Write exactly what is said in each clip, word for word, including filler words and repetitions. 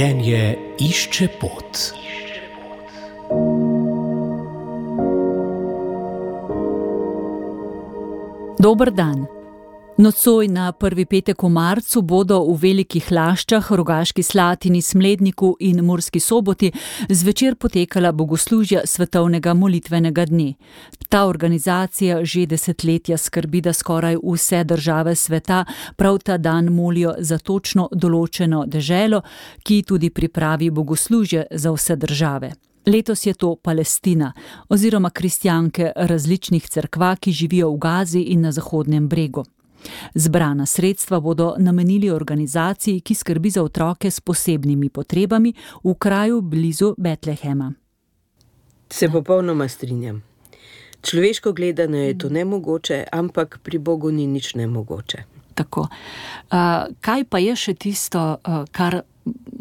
Življenje išče pot. Dober dan. Nocoj na prvi petek v marcu bodo v Velikih Laščah, Rogaški Slatini, Smledniku in Murski Soboti zvečer potekala bogoslužja svetovnega molitvenega dne. Ta organizacija že desetletja skrbi, da skoraj vse države sveta prav ta dan molijo za točno določeno deželo, ki tudi pripravi bogoslužje za vse države. Letos je to Palestina oziroma kristjanke različnih cerkva, ki živijo v Gazi in na Zahodnem bregu. Zbrana sredstva bodo namenili organizaciji, ki skrbi za otroke s posebnimi potrebami v kraju blizu Betlehema. Se popolnoma strinjam. Človeško gledano je to nemogoče, ampak pri Bogu ni nič nemogoče. Tako. Uh, kaj pa je še tisto, uh, kar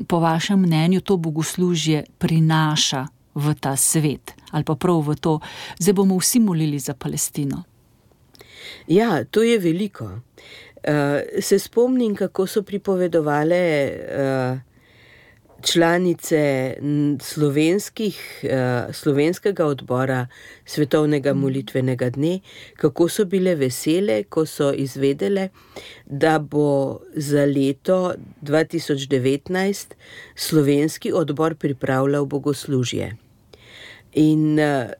po vašem mnenju to bogoslužje prinaša v ta svet? Ali pa prav v to, zdaj bomo vsi molili za Palestino. Ja, to je veliko. Uh, se spomnim, kako so pripovedovale uh, članice slovenskih, uh, slovenskega odbora svetovnega molitvenega dne, kako so bile vesele, ko so izvedele, da bo za leto dva tisoč devetnajst slovenski odbor pripravljal bogoslužje. In uh,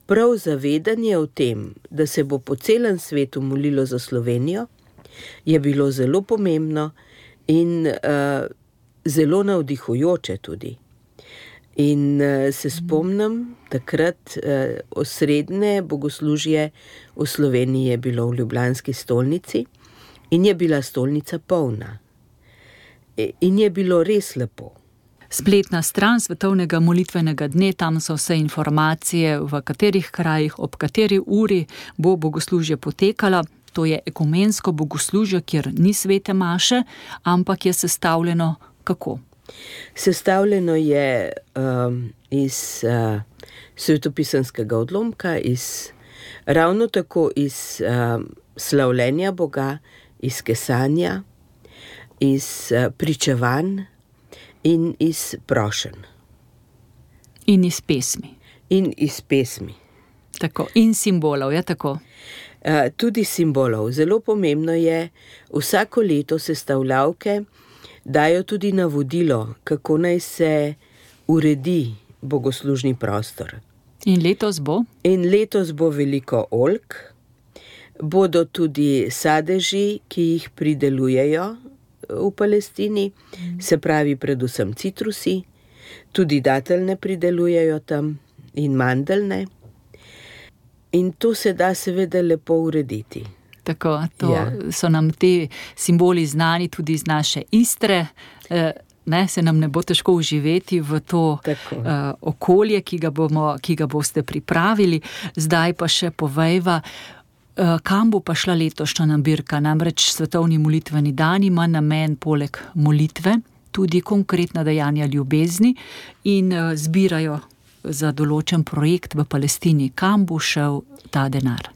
prav zavedanje o tem, da se bo po celem svetu molilo za Slovenijo, je bilo zelo pomembno in uh, zelo navdihujoče tudi. In uh, se spomnim, takrat uh, osrednje bogoslužje v Sloveniji je bilo v ljubljanski stolnici in je bila stolnica polna. In je bilo res lepo. Spletna stran svetovnega molitvenega dne, tam so vse informacije, v katerih krajih, ob kateri uri bo bogoslužje potekalo. To je ekumensko bogoslužje, kjer ni svete maše, ampak je sestavljeno kako? Sestavljeno je um, iz uh, svetopisanskega odlomka, iz, ravno tako iz um, slavljenja Boga, iz kesanja, iz uh, pričevanj, in iz prošenj. In iz pesmi. In iz pesmi. Tako, in simbolov, je tako? Uh, tudi simbolov. Zelo pomembno je, vsako leto sestavljavke dajo tudi navodilo, kako naj se uredi bogoslužni prostor. In letos bo? In letos bo veliko oljk, bodo tudi sadeži, ki jih pridelujejo v Palestini, se pravi predvsem citrusi, tudi dateljne pridelujejo tam in mandeljne. In to se da seveda lepo urediti. Tako, to ja. So nam ti simboli znani tudi iz naše Istre, e, ne, se nam ne bo težko uživeti v to uh, okolje, ki ga bomo, ki ga boste pripravili. Zdaj pa še povejva, kam bo pa šla letošnja nabirka? Namreč svetovni molitveni dan ima namen poleg molitve tudi konkretna dejanja ljubezni in zbirajo za določen projekt v Palestini. Kam bo šel ta denar?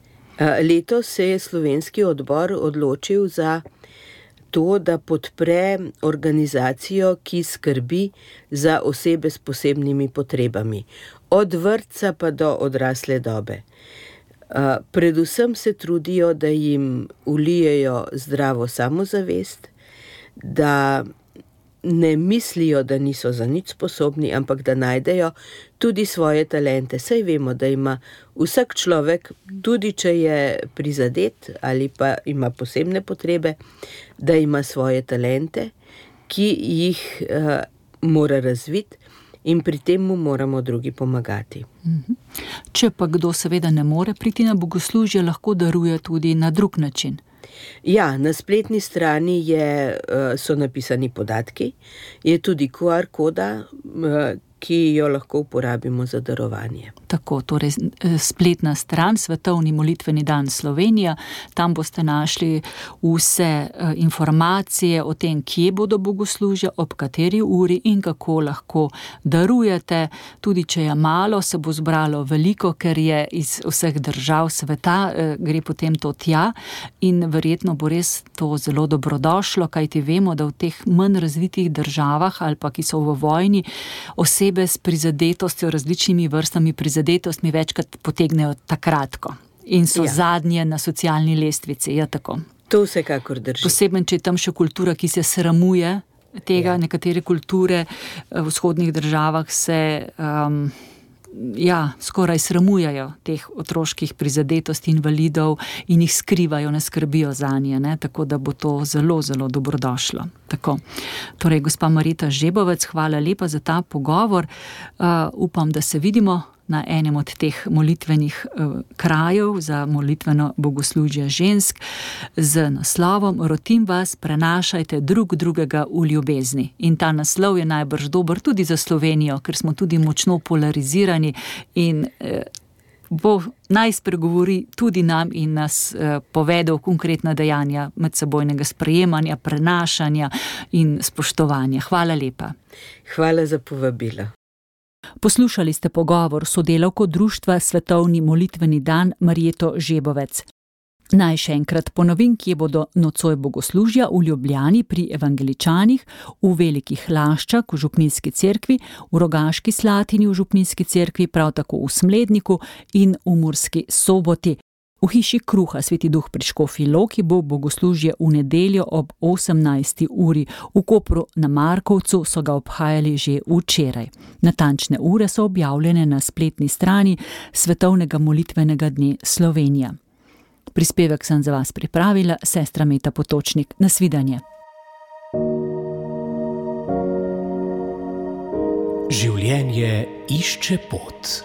Letos se je slovenski odbor odločil za to, da podpre organizacijo, ki skrbi za osebe s posebnimi potrebami. Od vrtca pa do odrasle dobe. Uh, predvsem se trudijo, da jim vlijejo zdravo samozavest, da ne mislijo, da niso za nič sposobni, ampak da najdejo tudi svoje talente. Saj vemo, da ima vsak človek, tudi če je prizadet ali pa ima posebne potrebe, da ima svoje talente, ki jih uh, mora razviti. In pri tem mu moramo drugi pomagati. Če pa kdo seveda ne more priti na bogoslužje, lahko daruje tudi na drug način. Ja, na spletni strani je, so napisani podatki, je tudi Q R koda, ki jo lahko uporabimo za darovanje. Tako, torej spletna stran Svetovni molitveni dan Slovenija, tam boste našli vse informacije o tem, kje bodo bogoslužja, ob kateri uri in kako lahko darujete. Tudi če je malo, se bo zbralo veliko, ker je iz vseh držav sveta, gre potem to tja in verjetno bo res to zelo dobrodošlo, kajti vemo, da v teh manj razvitih državah ali pa ki so v vojni, osebe s prizadetostjo, različnimi vrstami prizadetostmi večkrat potegnejo takratko in so ja. zadnje na socialni lestvici, je tako. To vsekakor drži. Posebno, če je tam še kultura, ki se sramuje tega, ja. nekatere kulture v vzhodnih državah se um, ja, skoraj sramujajo teh otroških prizadetosti invalidov in jih skrivajo, ne skrbijo zanje, ne? Tako da bo to zelo, zelo dobrodošlo. Tako. Torej, gospa Marjeta Žebovec, hvala lepa za ta pogovor. Uh, upam, da se vidimo na enem od teh molitvenih uh, krajev za molitveno bogoslužje žensk z naslovom Rotim vas, prenašajte drug drugega v ljubezni. In ta naslov je najbrž dober tudi za Slovenijo, ker smo tudi močno polarizirani in uh, bo naj spregovori tudi nam in nas uh, povedal konkretna dejanja medsebojnega sprejemanja, prenašanja in spoštovanja. Hvala lepa. Hvala za povabilo. Poslušali ste pogovor s sodelavko društva Svetovni molitveni dan Marjeto Žebovec. Naj še enkrat ponovim, kje bodo nocoj bogoslužja v Ljubljani pri evangeličanih, v Velikih Laščah v Župnijski cerkvi, v Rogaški Slatini v Župnijski cerkvi, prav tako v Smledniku in v Murski Soboti. V hiši Kruha Sveti Duh pri Škofji Loki bo bogoslužje v nedeljo ob osemnajsti uri. V Kopru na Markovcu so ga obhajali že včeraj. Natančne ure so objavljene na spletni strani Svetovnega molitvenega dne Slovenija. Prispevek sem za vas pripravila, sestra Meta Potočnik. Nasvidenje. Življenje išče pot.